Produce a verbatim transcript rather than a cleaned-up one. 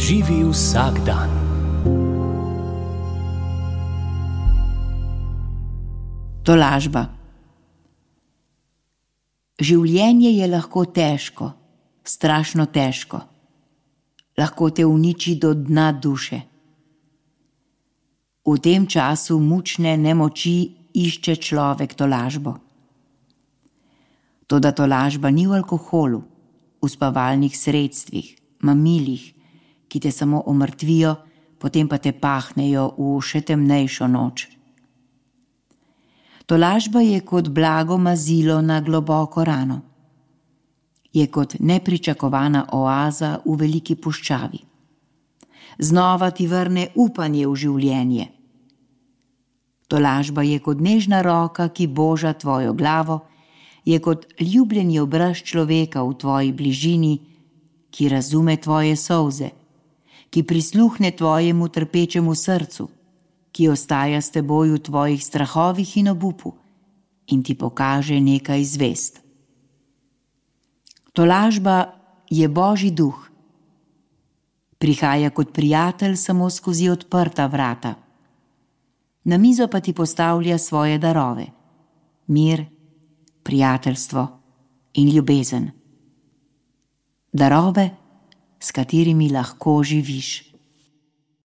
Živi vsak dan. Tolažba. Življenje je lahko težko, strašno težko. Lahko te uniči do dna duše. V tem času mučne nemoči išče človek tolažbo. Toda tolažba ni v alkoholu, v spavalnih sredstvih, mamilih, ki te samo omrtvijo, potem pa te pahnejo v še temnejšo noč. Tolažba je kot blago mazilo na globoko rano. Je kot nepričakovana oaza v veliki puščavi. Znova ti vrne upanje v življenje. Tolažba je kot nežna roka, ki boža tvojo glavo, je kot ljubljeni obraz človeka v tvoji bližini, ki razume tvoje solze, ki prisluhne tvojemu trpečemu srcu, ki ostaja s teboj v tvojih strahovih in obupu in ti pokaže nekaj zvezd. Tolažba je Božji duh. Prihaja kot prijatelj samo skozi odprta vrata. Na mizo pa ti postavlja svoje darove: mir, prijateljstvo in ljubezen. Darove, s katerimi lahko živiš.